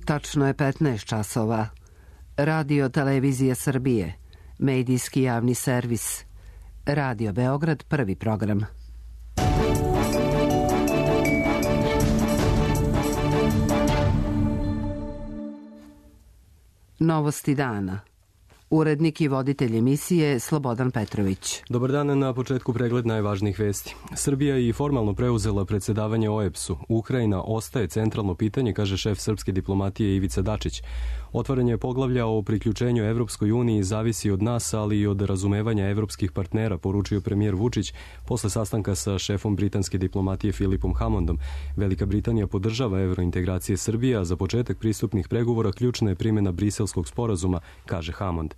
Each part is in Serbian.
Tačno je 15 časova. Radio Televizija Srbije, medijski javni servis. Radio Beograd, prvi program. Novosti dana. Urednik i voditelj emisije Slobodan Petrović. Dobar dan, na početku pregled najvažnijih vesti. Srbija je i formalno preuzela predsedavanje OEBS-u. Ukrajina ostaje centralno pitanje, kaže šef srpske diplomatije Ivica Dačić. Otvaranje poglavlja o priključenju Evropskoj uniji zavisi od nas, ali i od razumevanja evropskih partnera, poručio premijer Vučić posle sastanka sa šefom britanske diplomatije Filipom Hammondom. Velika Britanija podržava evrointegracije Srbije, a za početak pristupnih pregovora ključna je primjena Briselskog sporazuma, kaže Hammond.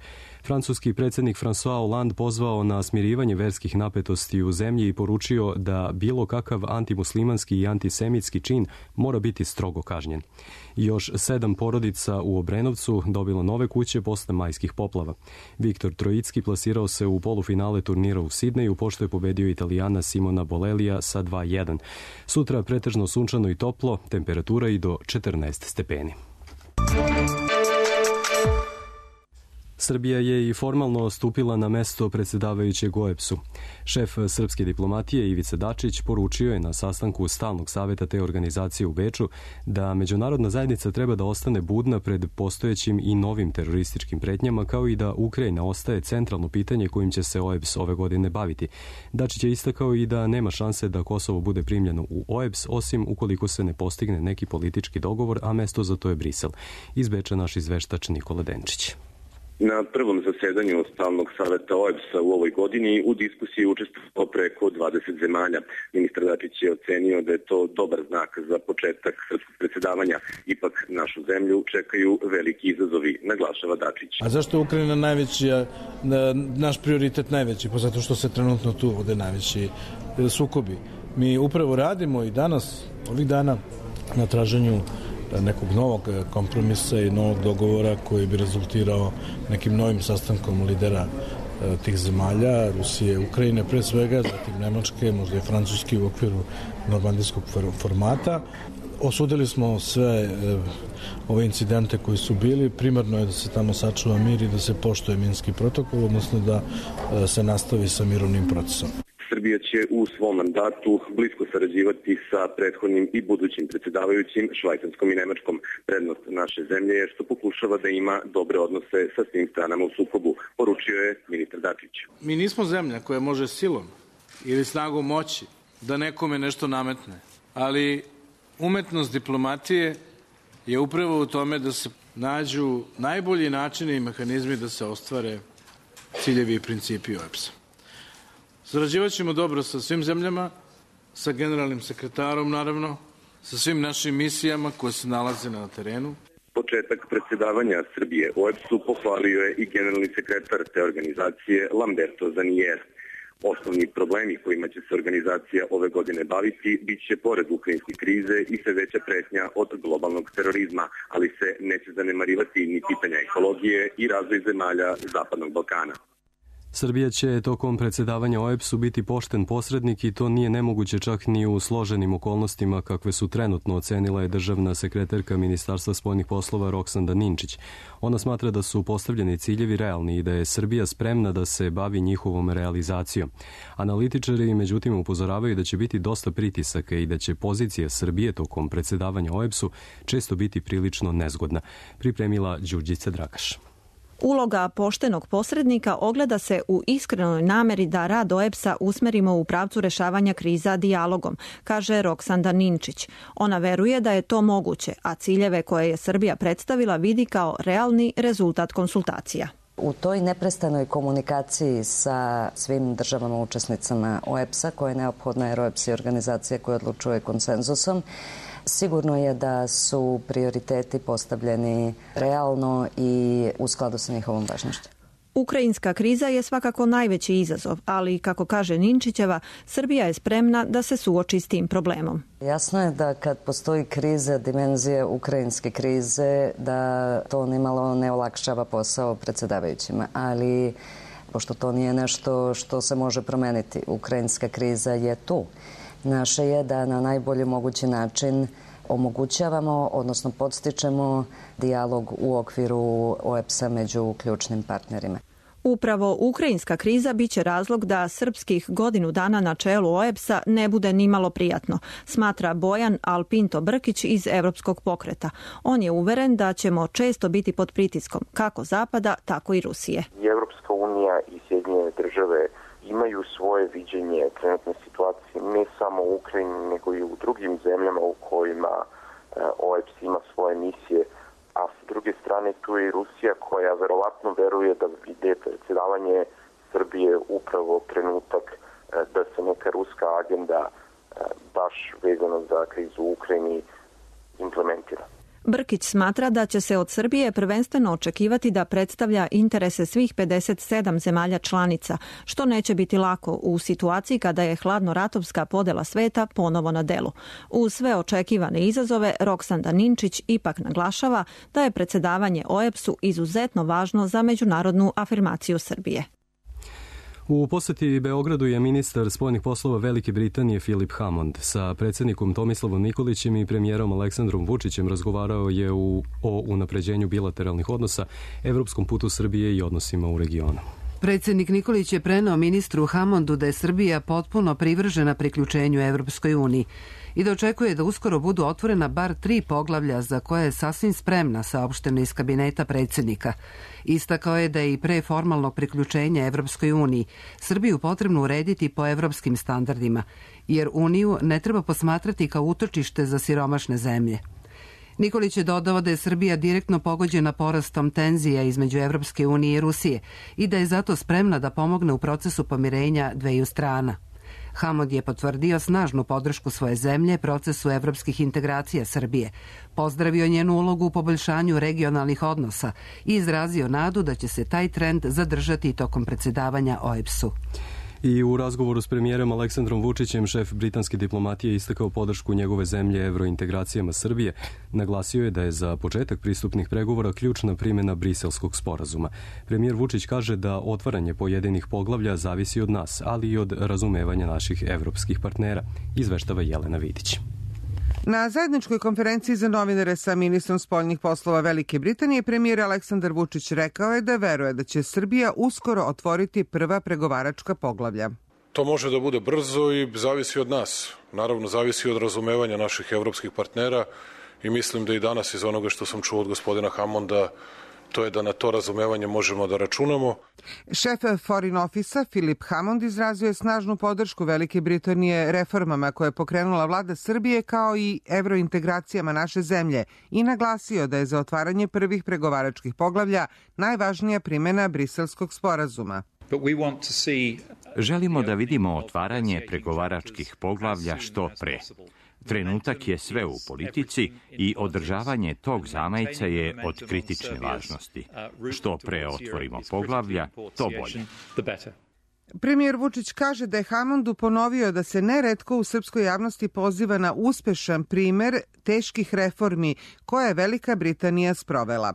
Francuski predsjednik François Hollande pozvao na smirivanje verskih napetosti u zemlji i poručio da bilo kakav antimuslimanski i antisemitski čin mora biti strogo kažnjen. Još 7 porodica u Obrenovcu dobilo nove kuće posle majskih poplava. Viktor Trojicki plasirao se u polufinale turnira u Sidneju, pošto je pobedio Italijana Simona Bolelija sa 2:1. Sutra pretežno sunčano i toplo, temperatura i do 14 stepeni. Srbija je i formalno stupila na mesto predsedavajućeg OEBS-u. Šef srpske diplomatije Ivica Dačić poručio je na sastanku stalnog saveta te organizacije u Beču da međunarodna zajednica treba da ostane budna pred postojećim i novim terorističkim pretnjama, kao i da Ukrajina ostaje centralno pitanje kojim će se OEBS ove godine baviti. Dačić je istakao i da nema šanse da Kosovo bude primljeno u OEBS, osim ukoliko se ne postigne neki politički dogovor, a mesto za to je Brisel. Iz Beča naš izveštač Nikola Denčić. Na prvom zasedanju Stalnog saveta OEBS-a u ovoj godini u diskusiji učestvovalo preko 20 zemalja. Ministar Dačić je ocenio da je to dobar znak za početak srpskog predsjedavanja. Ipak našu zemlju čekaju veliki izazovi, naglašava Dačić. A zašto je Ukrajina naš prioritet najveći? Pa zato što se trenutno tu vode najveći sukobi. Mi upravo radimo i danas, ovih dana, na traženju nekog novog kompromisa i novog dogovora koji bi rezultirao nekim novim sastankom lidera tih zemalja, Rusije, Ukrajine pre svega, zatim Nemačke, možda i Francuske u okviru normandijskog formata. Osudili smo sve ove incidente koji su bili. Primarno je da se tamo sačuva mir i da se poštuje Minski protokol, odnosno da se nastavi sa mirovnim procesom. Srbija će u svom mandatu blisko sarađivati sa prethodnim i budućim predsjedavajućim Švajcarskom i Nemačkom. Prednost naše zemlje je što pokušava da ima dobre odnose sa svim stranama u sukobu, poručio je ministar Dačić. Mi nismo zemlja koja može silom ili snagom moći da nekome nešto nametne, ali umetnost diplomatije je upravo u tome da se nađu najbolji načini i mehanizmi da se ostvare ciljevi i principi OEBS-a. Sarađivat ćemo dobro sa svim zemljama, sa generalnim sekretarom naravno, sa svim našim misijama koje se nalaze na terenu. Početak predsjedavanja Srbije OEBS-u pohvalio je i generalni sekretar te organizacije Lamberto Zanier. Osnovni problemi kojima će se organizacija ove godine baviti bit će pored ukrajinske krize i sve veća pretnja od globalnog terorizma, ali se neće zanemarivati ni pitanja ekologije i razvoj zemalja Zapadnog Balkana. Srbija će tokom predsjedavanja OEBS-u biti pošten posrednik i to nije nemoguće čak ni u složenim okolnostima kakve su trenutno ocenila je državna sekretarka Ministarstva spoljnih poslova Roksanda Ninčić. Ona smatra da su postavljeni ciljevi realni i da je Srbija spremna da se bavi njihovom realizacijom. Analitičari međutim upozoravaju da će biti dosta pritisaka i da će pozicija Srbije tokom predsjedavanja OEBS-u često biti prilično nezgodna, pripremila Đurđica Dragaš. Uloga poštenog posrednika ogleda se u iskrenoj nameri da rad OEBS-a usmerimo u pravcu rešavanja kriza dijalogom, kaže Roksanda Ninčić. Ona veruje da je to moguće, a ciljeve koje je Srbija predstavila vidi kao realni rezultat konsultacija. U toj neprestanoj komunikaciji sa svim državama učesnicama OEBS-a, koja je neophodna jer OEBS je organizacija koja odlučuje konsenzusom, sigurno je da su prioriteti postavljeni realno i u skladu sa njihovom važnošću. Ukrajinska kriza je svakako najveći izazov, ali, kako kaže Ninčićeva, Srbija je spremna da se suoči s tim problemom. Jasno je da kad postoji kriza, dimenzija ukrajinske krize, da to nimalo ne olakšava posao predsjedavajućima, ali pošto to nije nešto što se može promeniti, ukrajinska kriza je tu. Naše je da na najbolji mogući način omogućavamo, odnosno podstičemo dijalog u okviru OEBS-a među ključnim partnerima. Upravo ukrajinska kriza biće razlog da srpskih godinu dana na čelu OEBS-a ne bude nimalo prijatno, smatra Bojan Alpinto Brkić iz Evropskog pokreta. On je uveren da ćemo često biti pod pritiskom, kako Zapada, tako i Rusije. I Evropska unija i Sjedinjene države imaju svoje viđenje trenutne situacije, ne samo u Ukrajini, nego i u drugim zemljama u kojima OEBS ima svoje misije. A s druge strane tu je i Rusija koja verovatno veruje da je predsjedavanje Srbije upravo trenutak da se neka ruska agenda baš vezano za krizu u Ukrajini implementira. Brkić smatra da će se od Srbije prvenstveno očekivati da predstavlja interese svih 57 zemalja članica, što neće biti lako u situaciji kada je hladnoratovska podela sveta ponovo na delu. Uz sve očekivane izazove, Roksanda Ninčić ipak naglašava da je predsjedavanje OEBS-u izuzetno važno za međunarodnu afirmaciju Srbije. U poseti Beogradu je ministar spoljnih poslova Velike Britanije Philip Hammond sa predsjednikom Tomislavom Nikolićem i premijerom Aleksandrom Vučićem razgovarao je o unapređenju bilateralnih odnosa, evropskom putu Srbije i odnosima u regionu. Predsjednik Nikolić je preneo ministru Hammondu da je Srbija potpuno privržena priključenju Evropskoj uniji i da očekuje da uskoro budu otvorena bar 3 poglavlja za koje je sasvim spremna, saopšteno iz kabineta predsjednika. Istakao je da je i pre formalnog priključenja Evropskoj uniji Srbiju potrebno urediti po evropskim standardima, jer Uniju ne treba posmatrati kao utočište za siromašne zemlje. Nikolić je dodao da je Srbija direktno pogođena porastom tenzija između Evropske unije i Rusije i da je zato spremna da pomogne u procesu pomirenja dveju strana. Hammond je potvrdio snažnu podršku svoje zemlje procesu evropskih integracija Srbije, pozdravio njenu ulogu u poboljšanju regionalnih odnosa i izrazio nadu da će se taj trend zadržati tokom predsjedavanja OEBS-u. I u razgovoru s premijerom Aleksandrom Vučićem šef britanske diplomatije istakao podršku njegove zemlje evrointegracijama Srbije. Naglasio je da je za početak pristupnih pregovora ključna primjena Briselskog sporazuma. Premijer Vučić kaže da otvaranje pojedinih poglavlja zavisi od nas, ali i od razumevanja naših evropskih partnera, izveštava Jelena Vidić. Na zajedničkoj konferenciji za novinare sa ministrom spoljnih poslova Velike Britanije premijer Aleksandar Vučić rekao je da veruje da će Srbija uskoro otvoriti prva pregovaračka poglavlja. To može da bude brzo i zavisi od nas. Naravno, zavisi od razumevanja naših evropskih partnera i mislim da i danas iz onoga što sam čuo od gospodina Hammonda, to je da na to razumevanje možemo da računamo. Šef Foreign Office-a Philip Hammond izrazio je snažnu podršku Velike Britanije reformama koje je pokrenula vlada Srbije kao i evrointegracijama naše zemlje i naglasio da je za otvaranje prvih pregovaračkih poglavlja najvažnija primjena Briselskog sporazuma. Želimo da vidimo otvaranje pregovaračkih poglavlja što pre. Trenutak je sve u politici i održavanje tog zamajca je od kritične važnosti. Što pre otvorimo poglavlja, to bolje. Premijer Vučić kaže da je Hammondu ponovio da se neretko u srpskoj javnosti poziva na uspešan primer teških reformi koje je Velika Britanija sprovela.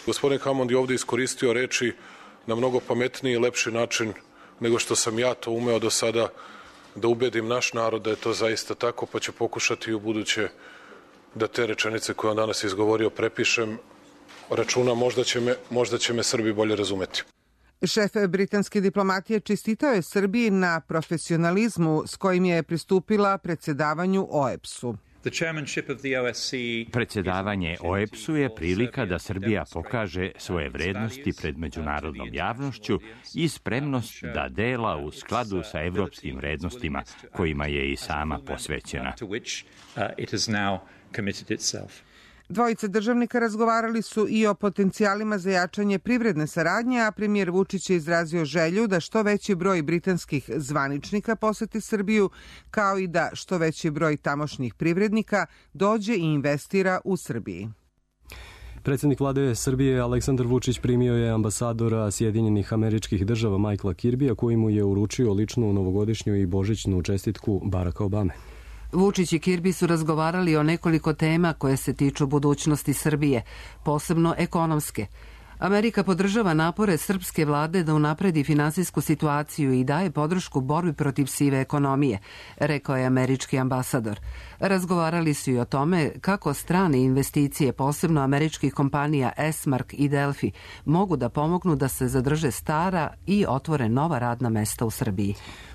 Gospodin Hammond je ovdje iskoristio reči na mnogo pametniji i lepši način nego što sam ja to umeo do sada da ubedim naš narod da je to zaista tako, pa ću pokušati u buduće da te rečenice koje on danas izgovorio prepišem. Računam, možda će me Srbi bolje razumeti. Šef britanske diplomatije čestitao je Srbiji na profesionalizmu s kojim je pristupila predsjedavanju OEBS-u. Predsjedavanje OEBS-u je prilika da Srbija pokaže svoje vrednosti pred međunarodnom javnošću i spremnost da dela u skladu sa evropskim vrednostima kojima je i sama posvećena. Dvojica državnika razgovarali su i o potencijalima za jačanje privredne saradnje, a premijer Vučić je izrazio želju da što veći broj britanskih zvaničnika poseti Srbiju, kao i da što veći broj tamošnjih privrednika dođe i investira u Srbiji. Predsjednik vlade Srbije Aleksandar Vučić primio je ambasadora Sjedinjenih Američkih Država Michaela Kirbija, koji mu je uručio ličnu novogodišnju i božićnu čestitku Baracka Obame. Vučić i Kirbi su razgovarali o nekoliko tema koje se tiču budućnosti Srbije, posebno ekonomske. Amerika podržava napore srpske vlade da unapredi finansijsku situaciju i daje podršku borbi protiv sive ekonomije, rekao je američki ambasador. Razgovarali su i o tome kako strane investicije, posebno američkih kompanija Esmark i Delfi, mogu da pomognu da se zadrže stara i otvore nova radna mesta u Srbiji.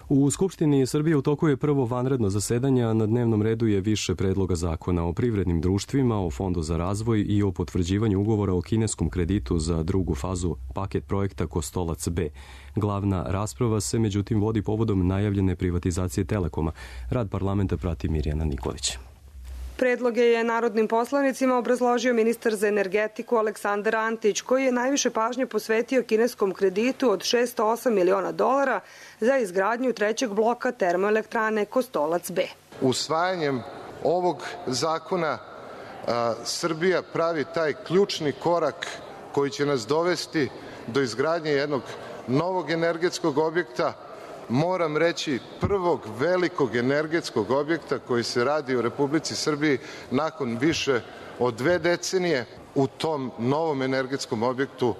U Skupštini Srbije u toku je prvo vanredno zasedanje, a na dnevnom redu je više predloga zakona o privrednim društvima, o Fondu za razvoj i o potvrđivanju ugovora o kineskom kreditu za drugu fazu paket projekta Kostolac B. Glavna rasprava se međutim vodi povodom najavljene privatizacije Telekoma. Rad parlamenta prati Mirjana Nikolić. Predloge je narodnim poslanicima obrazložio ministar za energetiku Aleksandar Antić, koji je najviše pažnje posvetio kineskom kreditu od $608 miliona za izgradnju trećeg bloka termoelektrane Kostolac B. Usvajanjem ovog zakona Srbija pravi taj ključni korak koji će nas dovesti do izgradnje jednog novog energetskog objekta, moram reći prvog velikog energetskog objekta koji se radi u Republici Srbiji nakon više od 2 decenije. U tom novom energetskom objektu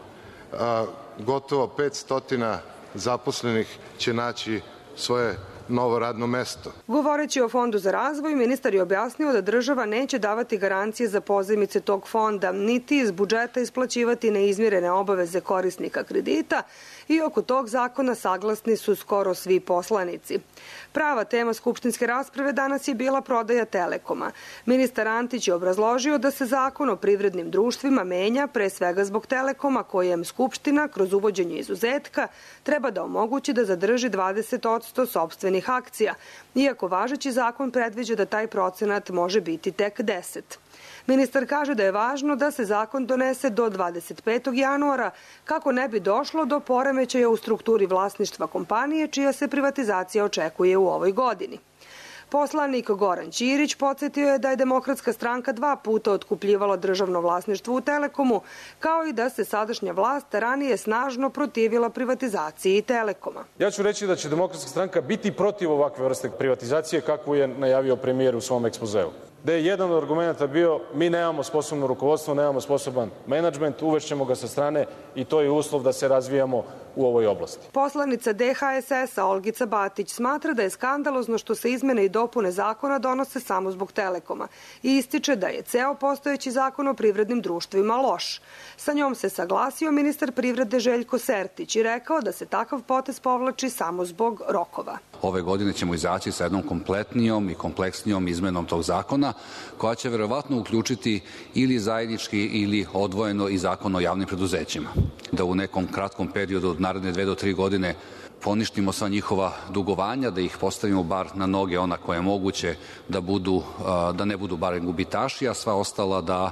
gotovo 500 zaposlenih će naći svoje novo radno mesto. Govoreći o Fondu za razvoj, ministar je objasnio da država neće davati garancije za pozajmice tog fonda, niti iz budžeta isplaćivati neizmirene obaveze korisnika kredita i oko tog zakona saglasni su skoro svi poslanici. Prava tema skupštinske rasprave danas je bila prodaja Telekoma. Ministar Antić je obrazložio da se zakon o privrednim društvima menja pre svega zbog Telekoma, kojem Skupština kroz uvođenje izuzetka treba da omogući da zadrži 20% sopstvenih akcija, iako važeći zakon predviđa da taj procenat može biti tek 10%. Ministar kaže da je važno da se zakon donese do 25. januara kako ne bi došlo do poremećaja u strukturi vlasništva kompanije čija se privatizacija očekuje u ovoj godini. Poslanik Goran Ćirić podsjetio je da je Demokratska stranka 2 puta otkupljivala državno vlasništvo u Telekomu, kao i da se sadašnja vlast ranije snažno protivila privatizaciji Telekoma. Ja ću reći da će Demokratska stranka biti protiv ovakve vrste privatizacije kakvu je najavio premijer u svom ekspozeu. Da je jedan od argumenta bio mi nemamo sposobno rukovodstvo, nemamo sposoban menadžment, uvešćemo ga sa strane i to je uslov da se razvijamo u ovoj oblasti. Poslanica DHSS-a Olgica Batić smatra da je skandalozno što se izmene i dopune zakona donose samo zbog Telekoma i ističe da je ceo postojeći zakon o privrednim društvima loš. Sa njom se saglasio ministar privrede Željko Sertić i rekao da se takav potez povlači samo zbog rokova. Ove godine ćemo izaći sa jednom kompletnijom i kompleksnijom izmenom tog zakona, koja će verovatno uključiti ili zajednički ili odvojeno i zakon o javnim preduzećima. Da u nekom kratkom periodu od naredne 2 do 3 godine poništimo sva njihova dugovanja, da ih postavimo bar na noge ona koja je moguće da ne budu barem gubitaši, a sva ostala da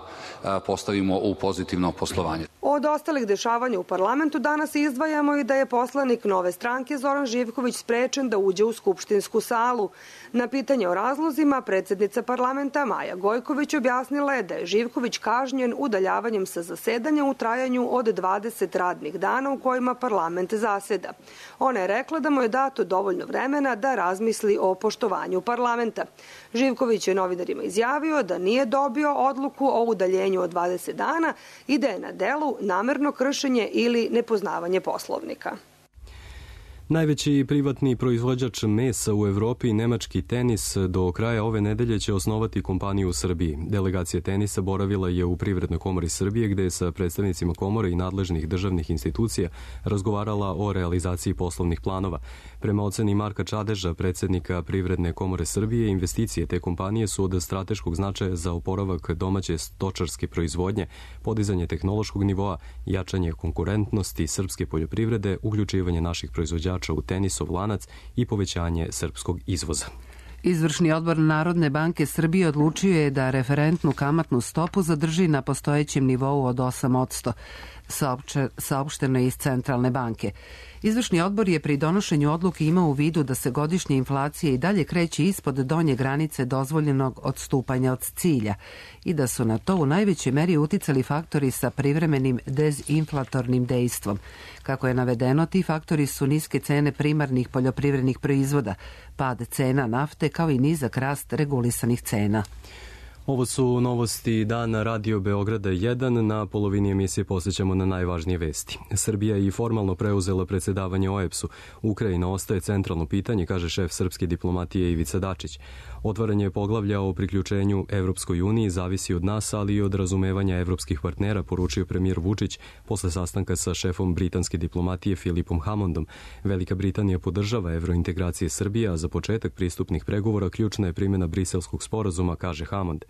postavimo u pozitivno poslovanje. Od ostalih dešavanja u parlamentu danas izdvajamo i da je poslanik Nove stranke Zoran Živković sprečen da uđe u skupštinsku salu. Na pitanje o razlozima predsednica parlamenta Maja Gojković objasnila je da je Živković kažnjen udaljavanjem sa zasedanja u trajanju od 20 radnih dana u kojima parlament zaseda. Ona je rekla da mu je dato dovoljno vremena da razmisli o poštovanju parlamenta. Živković je novinarima izjavio da nije dobio odluku o udaljenju od 20 dana i da je na delu namerno kršenje ili nepoznavanje Poslovnika. Najveći privatni proizvođač mesa u Evropi, nemački Tenis, do kraja ove nedelje će osnovati kompaniju u Srbiji. Delegacija Tenisa boravila je u Privrednoj komori Srbije, gde je sa predstavnicima komore i nadležnih državnih institucija razgovarala o realizaciji poslovnih planova. Prema oceni Marka Čadeža, predsednika Privredne komore Srbije, investicije te kompanije su od strateškog značaja za oporavak domaće stočarske proizvodnje, podizanje tehnološkog nivoa, jačanje konkurentnosti srpske poljoprivrede, uključivanje naših proizvođača u tenisov lanac i povećanje srpskog izvoza. Izvršni odbor Narodne banke Srbije odlučio je da referentnu kamatnu stopu zadrži na postojećem nivou od 8%, saopšteno je iz Centralne banke. Izvršni odbor je pri donošenju odluke imao u vidu da se godišnja inflacija i dalje kreće ispod donje granice dozvoljenog odstupanja od cilja i da su na to u najvećoj meri uticali faktori sa privremenim dezinflatornim dejstvom. Kako je navedeno, ti faktori su niske cene primarnih poljoprivrednih proizvoda, pad cena nafte kao i nizak rast regulisanih cena. Ovo su novosti dana Radio Beograda 1. Na polovini emisije posjećamo na najvažnije vesti. Srbija je i formalno preuzela predsedavanje OEBS-u. Ukrajina ostaje centralno pitanje, kaže šef srpske diplomatije Ivica Dačić. Otvaranje poglavlja o priključenju Evropskoj uniji zavisi od nas, ali i od razumevanja evropskih partnera, poručio premijer Vučić posle sastanka sa šefom britanske diplomatije Philipom Hammondom. Velika Britanija podržava evrointegracije Srbije, a za početak pristupnih pregovora ključna je primjena Briselskog sporazuma, kaže Hammond.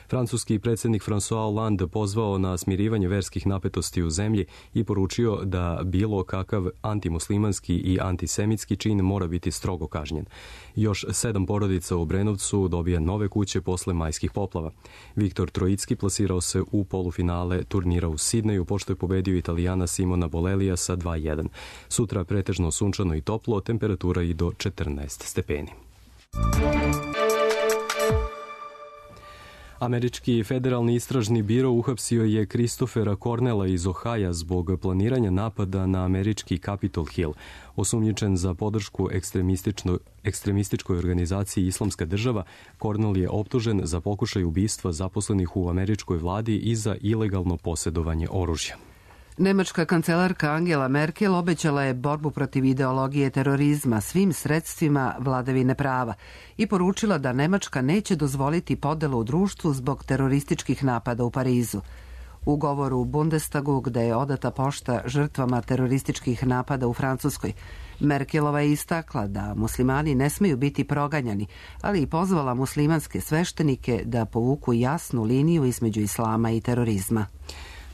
Francuski predsjednik François Hollande pozvao na smirivanje verskih napetosti u zemlji i poručio da bilo kakav antimuslimanski i antisemitski čin mora biti strogo kažnjen. Još 7 porodica u Obrenovcu dobija nove kuće posle majskih poplava. Viktor Trojicki plasirao se u polufinale turnira u Sidneju, pošto je pobedio Italijana Simona Bolelija sa 2:1. Sutra pretežno sunčano i toplo, temperatura i do 14 stepeni. Američki federalni istražni biro uhapsio je Christophera Cornella iz Ohaja zbog planiranja napada na američki Capitol Hill. Osumnjičen za podršku ekstremističkoj organizaciji Islamska država, Cornell je optužen za pokušaj ubistva zaposlenih u američkoj vladi i za ilegalno posjedovanje oružja. Nemačka kancelarka Angela Merkel obećala je borbu protiv ideologije terorizma svim sredstvima vladavine prava i poručila da Nemačka neće dozvoliti podelu u društvu zbog terorističkih napada u Parizu. U govoru u Bundestagu, gde je odata pošta žrtvama terorističkih napada u Francuskoj, Merkelova je istakla da muslimani ne smeju biti proganjani, ali i pozvala muslimanske sveštenike da povuku jasnu liniju između islama i terorizma.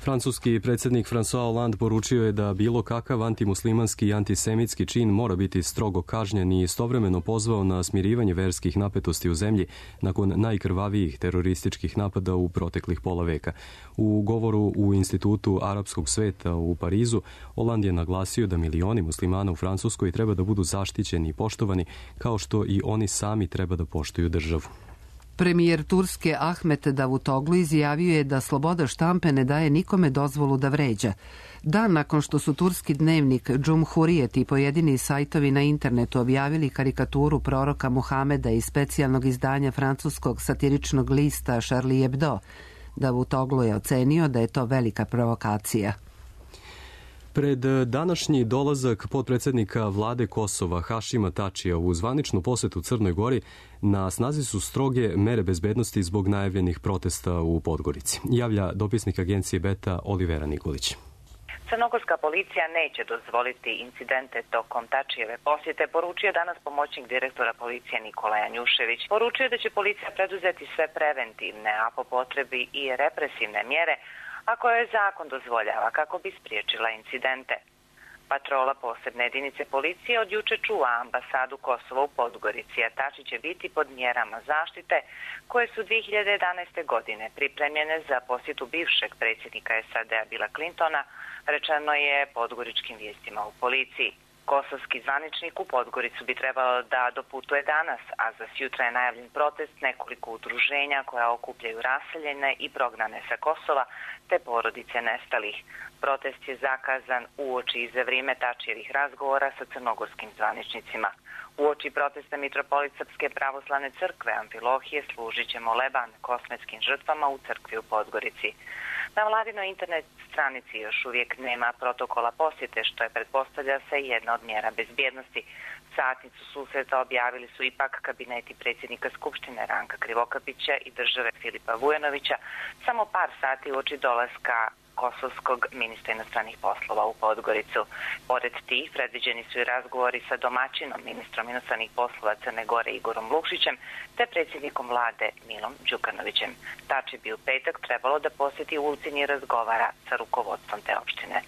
Francuski predsjednik François Hollande poručio je da bilo kakav antimuslimanski i antisemitski čin mora biti strogo kažnjen i istovremeno pozvao na smirivanje verskih napetosti u zemlji nakon najkrvavijih terorističkih napada u proteklih pola veka. U govoru u Institutu arapskog sveta u Parizu, Hollande je naglasio da milioni muslimana u Francuskoj treba da budu zaštićeni i poštovani, kao što i oni sami treba da poštuju državu. Premijer Turske Ahmet Davutoglu izjavio je da sloboda štampe ne daje nikome dozvolu da vređa. Dan nakon što su turski dnevnik Cumhuriyet i pojedini sajtovi na internetu objavili karikaturu proroka Muhameda iz specijalnog izdanja francuskog satiričnog lista Charlie Hebdo, Davutoglu je ocenio da je to velika provokacija. Pred današnji dolazak potpredsjednika vlade Kosova Hašima Tačija u zvaničnu posetu Crnoj Gori na snazi su stroge mere bezbednosti zbog najavljenih protesta u Podgorici. Javlja dopisnik agencije Beta Olivera Nikolić. Crnogorska policija neće dozvoliti incidente tokom Tačijeve posjete, poručio danas pomoćnik direktora policije Nikola Janjušević. Poručio da će policija preduzeti sve preventivne, a po potrebi i represivne mjere, a koje zakon dozvoljava kako bi spriječila incidente. Patrola posebne jedinice policije od juče čuva ambasadu Kosova u Podgorici, a Tači će biti pod mjerama zaštite koje su 2011. godine pripremljene za posjetu bivšeg predsjednika SAD-a Billa Clintona, rečeno je podgoričkim vijestima u policiji. Kosovski zvaničnik u Podgoricu bi trebalo da doputuje danas, a za sjutra je najavljen protest nekoliko udruženja koja okupljaju raseljene i prognane sa Kosova te porodice nestalih. Protest je zakazan uoči i za vrijeme Tačijevih razgovora sa crnogorskim zvaničnicima. Uoči protesta mitropolit Srpske pravoslavne crkve Amfilohije služit će moleban kosmetskim žrtvama u crkvi u Podgorici. Na vladinoj internet stranici još uvijek nema protokola posjete, što je, pretpostavlja se, jedna od mjera bezbjednosti. Satnicu susreta objavili su ipak kabineti predsjednika Skupštine Ranka Krivokapića i države Filipa Vujanovića samo par sati uoči dolaska kosovskog ministra inostranih poslova u Podgoricu. Pored tih, predviđeni su i razgovori sa domaćinom ministrom inostranih poslova Crne Gore Igorom Lukšićem te predsjednikom vlade Milom Đukanovićem. Tači bi u petak trebalo da posjeti Ulcinj i razgovara sa rukovodstvom te opštine.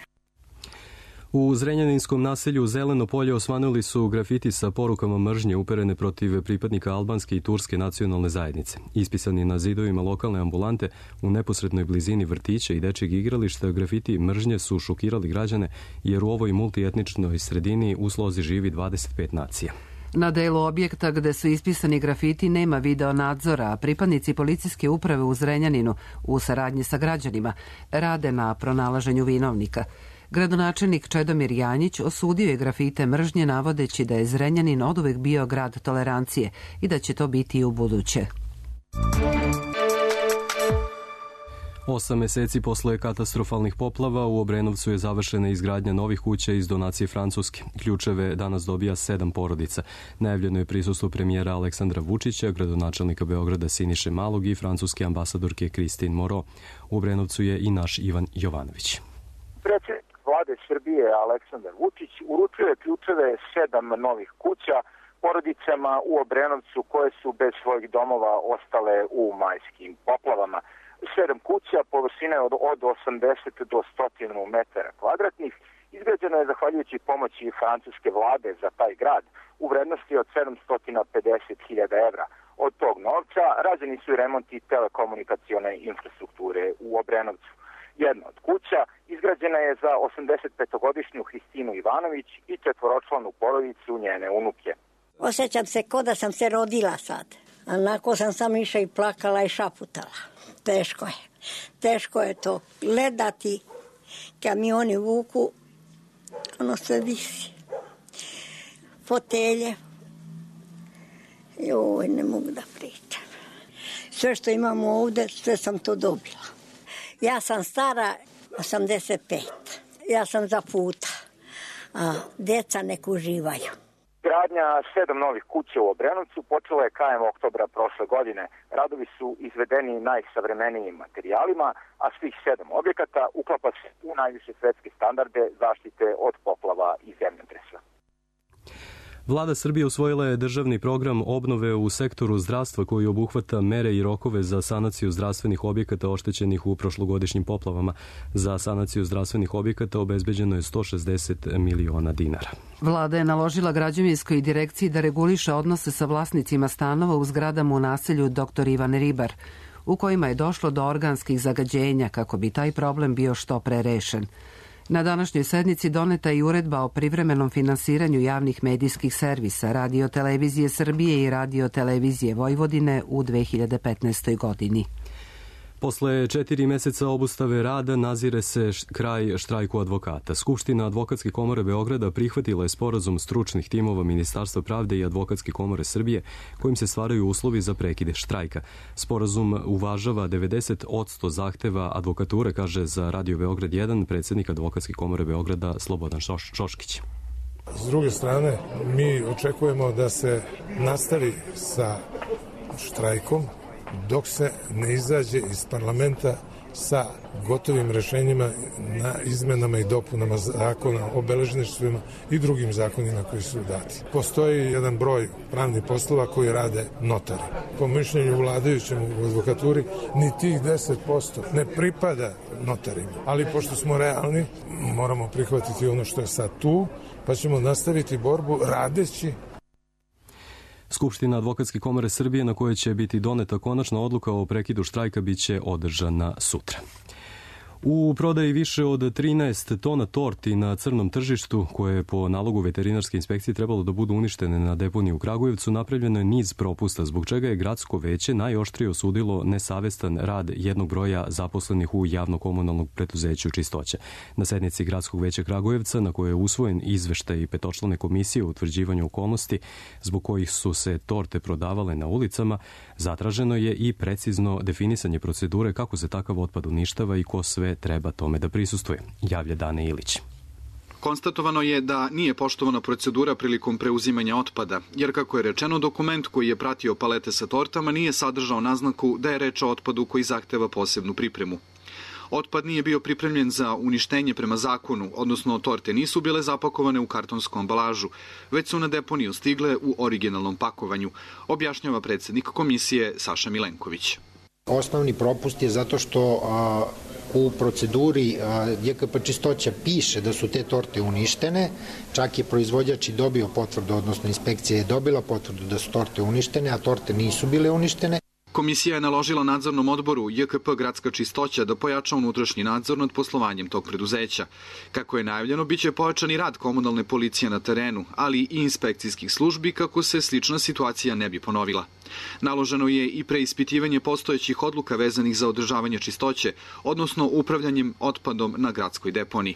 U Zrenjaninskom naselju Zeleno polje osvanuli su grafiti sa porukama mržnje uperene protiv pripadnika albanske i turske nacionalne zajednice. Ispisani na zidovima lokalne ambulante u neposrednoj blizini vrtića i dečjeg igrališta, grafiti mržnje su šokirali građane jer u ovoj multietničnoj sredini u slozi živi 25 nacija. Na delu objekta gde su ispisani grafiti nema video nadzora, a pripadnici policijske uprave u Zrenjaninu u saradnji sa građanima rade na pronalaženju vinovnika. Gradonačelnik Čedomir Janjić osudio je grafite mržnje navodeći da je Zrenjanin oduvek bio grad tolerancije i da će to biti i u buduće. 8 meseci posle katastrofalnih poplava u Obrenovcu je završena izgradnja novih kuća iz donacije Francuske. Ključeve danas dobija 7 porodica. Najavljeno je prisustvo premijera Aleksandra Vučića, gradonačelnika Beograda Siniše Malog i francuske ambasadorke Christine Moreau. U Obrenovcu je i naš Ivan Jovanović. Predsjednik vlade Srbije Aleksandar Vučić uručuje ključeve 7 novih kuća porodicama u Obrenovcu koje su bez svojih domova ostale u majskim poplavama. 7 kuća površine od 80 do 100 metara kvadratnih izgrađeno je zahvaljujući pomoći francuske vlade za taj grad u vrednosti od 750.000 evra. Od tog novca rađeni su i remonti telekomunikacione infrastrukture u Obrenovcu. Jedna od kuća izgrađena je za 85-godišnju Hristinu Ivanović i 4-članu porodicu njene unuke. Osjećam se kao da sam se rodila sad. Onako sam sam išla i plakala i šaputala. Teško je. Teško je to gledati. Kamioni vuku, ono sve visi. Fotelje. Joj, ne mogu da pričam. Sve što imamo ovde, sve sam to dobila. Ja sam stara 85. Ja sam za puta. A deca nek uživaju. Gradnja 7 novih kuća u Obrenovcu počela je krajem oktobra prošle godine. Radovi su izvedeni najsavremenijim materijalima, a svih 7 objekata uklapa se u najviše svetske standarde zaštite od poplava i zemljotresa. Vlada Srbije usvojila je državni program obnove u sektoru zdravstva koji obuhvata mere i rokove za sanaciju zdravstvenih objekata oštećenih u prošlogodišnjim poplavama. Za sanaciju zdravstvenih objekata obezbeđeno je 160 miliona dinara. Vlada je naložila građevinskoj direkciji da reguliše odnose sa vlasnicima stanova u zgradama u naselju Dr. Ivan Ribar, u kojima je došlo do organskih zagađenja kako bi taj problem bio što pre rešen. Na današnjoj sednici doneta je uredba o privremenom finansiranju javnih medijskih servisa Radio Televizije Srbije i Radio Televizije Vojvodine u 2015. godini. Posle 4 meseca obustave rada nazire se kraj štrajku advokata. Skupština Advokatske komore Beograda prihvatila je sporazum stručnih timova Ministarstva pravde i Advokatske komore Srbije kojim se stvaraju uslovi za prekide štrajka. Sporazum uvažava 90% zahteva advokature, kaže za Radio Beograd 1 predsjednik Advokatske komore Beograda Slobodan Šoškić. S druge strane, mi očekujemo da se nastavi sa štrajkom dok se ne izađe iz parlamenta sa gotovim rešenjima na izmenama i dopunama zakona o beležništvima i drugim zakonima koji su dati. Postoji jedan broj pravnih poslova koji rade notari. Po mišljenju vladajućem u advokaturi ni tih 10% ne pripada notarima. Ali pošto smo realni, moramo prihvatiti ono što je sad tu, pa ćemo nastaviti borbu radeći. Skupština Advokatske komore Srbije na kojoj će biti doneta konačna odluka o prekidu štrajka biće održana sutra. U prodaji više od 13 tona torti na crnom tržištu, koje je po nalogu veterinarske inspekcije trebalo da budu uništene na deponiji u Kragujevcu, napravljeno je niz propusta, zbog čega je gradsko veće najoštrije osudilo nesavestan rad jednog broja zaposlenih u javno-komunalnog preduzeću Čistoća. Na sednici gradskog veća Kragujevca, na kojoj je usvojen izveštaj 5-člane komisije o utvrđivanju okolnosti zbog kojih su se torte prodavale na ulicama, zatraženo je i precizno definisanje procedure kako se takav otpad uništava i ko sve treba tome da prisustuje, javlja Dane Ilić. Konstatovano je da nije poštovana procedura prilikom preuzimanja otpada, jer kako je rečeno, dokument koji je pratio palete sa tortama nije sadržao naznaku da je reč o otpadu koji zahteva posebnu pripremu. Otpad nije bio pripremljen za uništenje prema zakonu, odnosno torte nisu bile zapakovane u kartonsku ambalažu, već su na deponiju stigle u originalnom pakovanju, objašnjava predsjednik komisije Saša Milenković. Osnovni propust je zato što u proceduri JKP Čistoća piše da su te torte uništene, čak je proizvođač i dobio potvrdu, odnosno inspekcija je dobila potvrdu da su torte uništene, a torte nisu bile uništene. Komisija je naložila nadzornom odboru JKP Gradska čistoća da pojača unutrašnji nadzor nad poslovanjem tog preduzeća. Kako je najavljeno, biće pojačan i rad komunalne policije na terenu, ali i inspekcijskih službi kako se slična situacija ne bi ponovila. Naloženo je i preispitivanje postojećih odluka vezanih za održavanje čistoće, odnosno upravljanjem otpadom na gradskoj deponiji.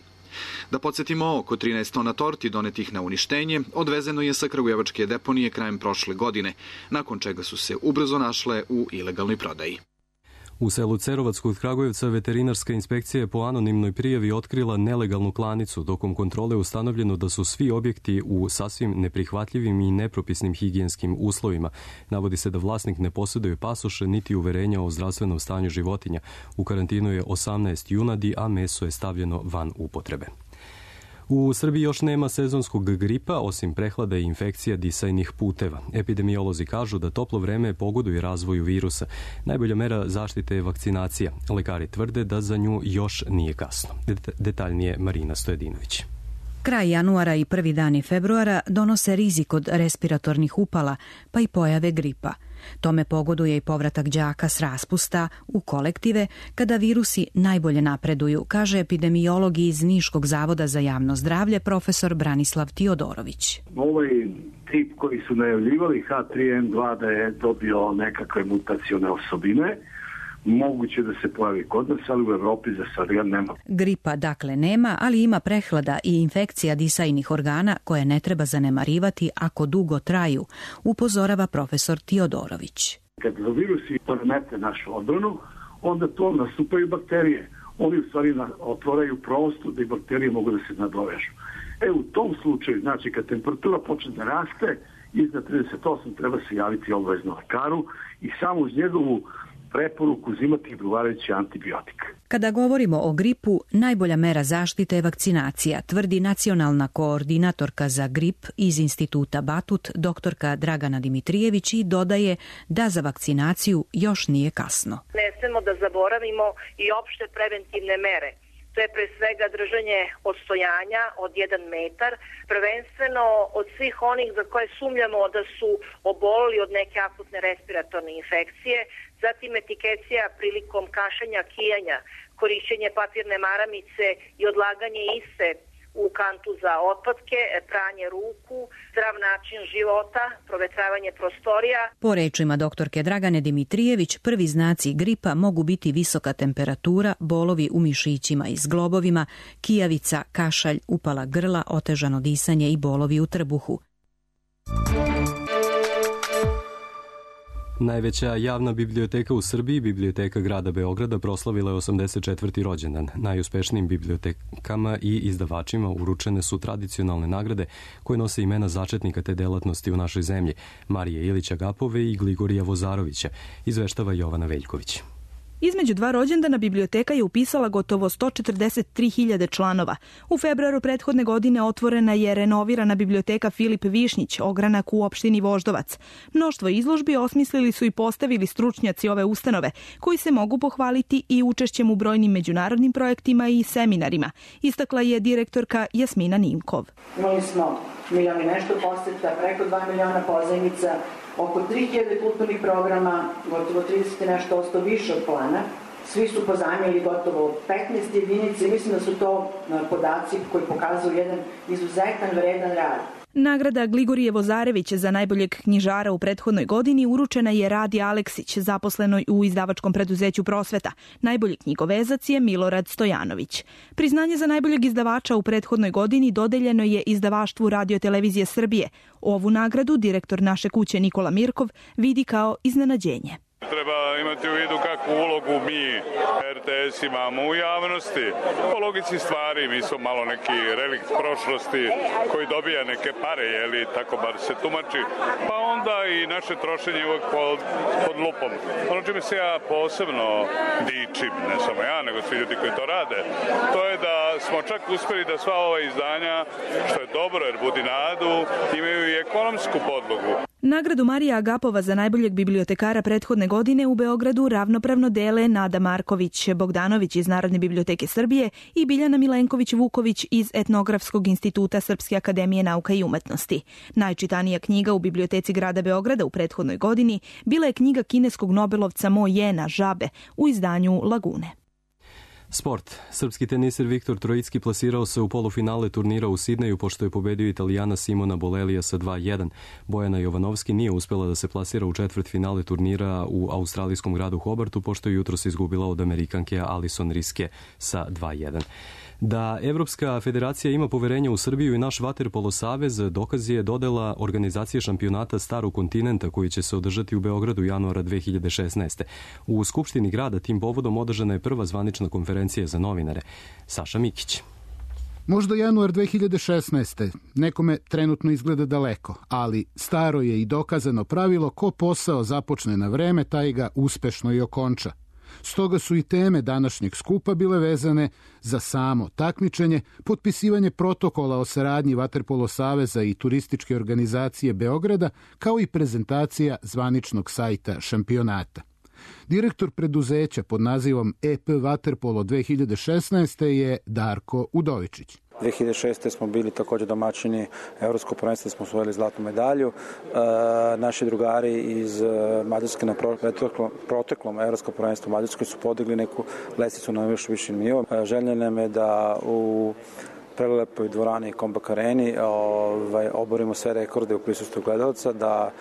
Da podsjetimo, oko 13 tona torti donetih na uništenje odvezeno je sa kragujevačke deponije krajem prošle godine, nakon čega su se ubrzo našle u ilegalnoj prodaji. U selu Cerovac kod Kragujevca veterinarska inspekcija je po anonimnoj prijavi otkrila nelegalnu klanicu. Tokom kontrole ustanovljeno da su svi objekti u sasvim neprihvatljivim i nepropisnim higijenskim uslovima. Navodi se da vlasnik ne posjeduje pasoše niti uverenja o zdravstvenom stanju životinja. U karantinu je 18 junadi, a meso je stavljeno van upotrebe. U Srbiji još nema sezonskog gripa, osim prehlada i infekcija disajnih puteva. Epidemiolozi kažu da toplo vreme pogoduje razvoju virusa. Najbolja mera zaštite je vakcinacija. Lekari tvrde da za nju još nije kasno. Detaljnije Marina Stojedinović. Kraj januara i prvi dani februara donose rizik od respiratornih upala, pa i pojave gripa. Tome pogoduje i povratak đaka s raspusta u kolektive kada virusi najbolje napreduju, kaže epidemiolog iz Niškog zavoda za javno zdravlje profesor Branislav Tiodorović. Ovaj tip koji su najavljivali H3N2 da je dobio nekakve mutacione osobine, moguće da se pojavi kod nas, ali u Evropi za sad ga nema. Gripa dakle nema, ali ima prehlada i infekcija disajnih organa koje ne treba zanemarivati ako dugo traju, upozorava profesor Tiodorović. Kad virusi poremete našu odbranu, onda to nastupaju bakterije. Oni u stvari otvaraju prostor da i bakterije mogu da se nadovežu. U tom slučaju, znači kad temperatura počne da raste, iznad 38 treba se javiti obavezno lekaru i samo uz njegovu preporuku uzimati odgovarajući antibiotik. Kada govorimo o gripu, najbolja mera zaštite je vakcinacija, tvrdi nacionalna koordinatorka za grip iz instituta Batut, doktorka Dragana Dimitrijević, i dodaje da za vakcinaciju još nije kasno. Ne smemo da zaboravimo i opšte preventivne mere. To je pre svega držanje odstojanja od 1 metar, prvenstveno od svih onih za koje sumnjamo da su obolili od neke akutne respiratorne infekcije, zatim etikecija prilikom kašanja, kijanja, korišćenje papirne maramice i odlaganje iste u kantu za otpadke, pranje ruku, zdrav način života, provetravanje prostorija. Po rečima doktorke Dragane Dimitrijević, prvi znaci gripa mogu biti visoka temperatura, bolovi u mišićima i zglobovima, kijavica, kašalj, upala grla, otežano disanje i bolovi u trbuhu. Najveća javna biblioteka u Srbiji, Biblioteka grada Beograda, proslavila je 84. rođendan. Najuspešnijim bibliotekama i izdavačima uručene su tradicionalne nagrade koje nose imena začetnika te delatnosti u našoj zemlji, Marije Ilića Gapove i Gligorija Vozarovića, izveštava Jovana Veljković. Između dva rođendana biblioteka je upisala gotovo 143.000 članova. U februaru prethodne godine otvorena je renovirana biblioteka Filip Višnjić, ogranak u opštini Voždovac. Mnoštvo izložbi osmislili su i postavili stručnjaci ove ustanove, koji se mogu pohvaliti i učešćem u brojnim međunarodnim projektima i seminarima, istakla je direktorka Jasmina Nimkov. Imali smo 1 milion i nešto poseta, preko 2 miliona pozajmica, oko 3000 kulturnih programa, gotovo 30 nešto osto više od plana. Svi su pozajmili gotovo 15 jedinica i mislim da su to podaci koji pokazuju jedan izuzetan vredan rad. Nagrada Gligorije Vozarević za najboljeg knjižara u prethodnoj godini uručena je Radi Aleksić, zaposlenoj u izdavačkom preduzeću Prosveta. Najbolji knjigovezac je Milorad Stojanović. Priznanje za najboljeg izdavača u prethodnoj godini dodeljeno je izdavaštvu Radio-televizije Srbije. Ovu nagradu direktor naše kuće Nikola Mirkov vidi kao iznenađenje. Treba imati u vidu kakvu ulogu mi, RTS, imamo u javnosti. Po logici stvari, mi smo malo neki relikt prošlosti koji dobija neke pare, jeli, tako bar se tumači. Pa onda i naše trošenje uvek pod lupom. Ono čime se ja posebno dičim, ne samo ja, nego svi ljudi koji to rade, to je da smo čak uspeli da sva ova izdanja, što je dobro jer budi nadu, imaju i ekonomsku podlogu. Nagradu Marija Agapova za najboljeg bibliotekara prethodne godine u Beogradu ravnopravno dele Nada Marković-Bogdanović iz Narodne biblioteke Srbije i Biljana Milenković-Vuković iz Etnografskog instituta Srpske akademije nauka i umetnosti. Najčitanija knjiga u biblioteci grada Beograda u prethodnoj godini bila je knjiga kineskog nobelovca Mo Jena Žabe u izdanju Lagune. Sport. Srpski teniser Viktor Trojicki plasirao se u polufinale turnira u Sidneju pošto je pobedio Italijana Simona Bolelija sa 2-1. Bojana Jovanovski nije uspela da se plasira u četvrtfinale turnira u australijskom gradu Hobartu pošto je jutros izgubila od Amerikanke Alison Riske sa 2-1. Da Evropska federacija ima poverenja u Srbiju i naš vaterpolo savez dokaz je dodela organizacije šampionata Starog kontinenta koji će se održati u Beogradu januara 2016. U Skupštini grada tim povodom održana je prva zvanična konferencija za novinare. Saša Mikić. Možda januar 2016. Nekome trenutno izgleda daleko, ali staro je i dokazano pravilo ko posao započne na vreme, taj ga uspešno i okonča. Stoga su i teme današnjeg skupa bile vezane za samo takmičenje, potpisivanje protokola o saradnji Vaterpolo saveza i turističke organizacije Beograda, kao i prezentacija zvaničnog sajta šampionata. Direktor preduzeća pod nazivom EP Vaterpolo 2016. je Darko Udovičić. 2006. smo bili također domaćini Evropskog prvenstva, smo osvojili zlatnu medalju. Naši drugari iz Mađarske na proteklom Evropskom prvenstvu u Mađarskoj su podigli neku lestvicu na još viši nivo. Želja nam je da u prelepoj dvorani Kombak Areni oborimo sve rekorde u prisustvu gledalaca, da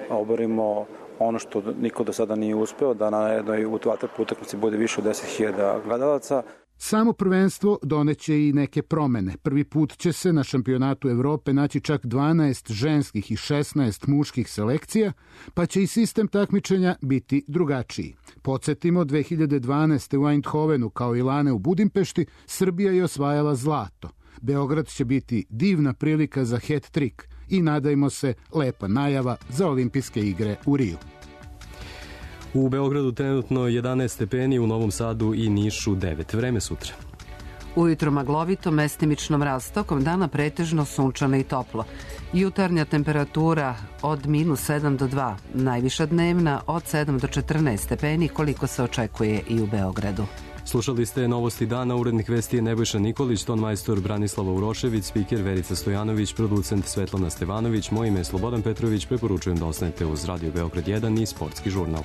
oborimo ono što niko do sada nije uspeo, da na jednoj vaterpolo utakmici bude više od 10.000 gledalaca. Samo prvenstvo doneće i neke promene. Prvi put će se na šampionatu Evrope naći čak 12 ženskih i 16 muških selekcija, pa će i sistem takmičenja biti drugačiji. Podsjetimo, 2012. u Eindhovenu kao i lane u Budimpešti, Srbija je osvajala zlato. Beograd će biti divna prilika za hat-trick i nadajmo se lepa najava za olimpijske igre u Riju. U Beogradu trenutno 11 stepeni, u Novom Sadu i Nišu 9. Vreme sutra. Ujutro maglovito, mestimično mraz, tokom dana pretežno sunčano i toplo. Jutarnja temperatura od -7 do 2, najviša dnevna od 7 do 14 stepeni, koliko se očekuje i u Beogradu. Slušali ste novosti dana, urednik vesti je Nebojša Nikolić, tonmajstor Branislava Urošević, spiker Verica Stojanović, producent Svetlana Stevanović, moje ime je Slobodan Petrović, preporučujem da ostanete uz Radio Beograd 1 i Sportski žurnal.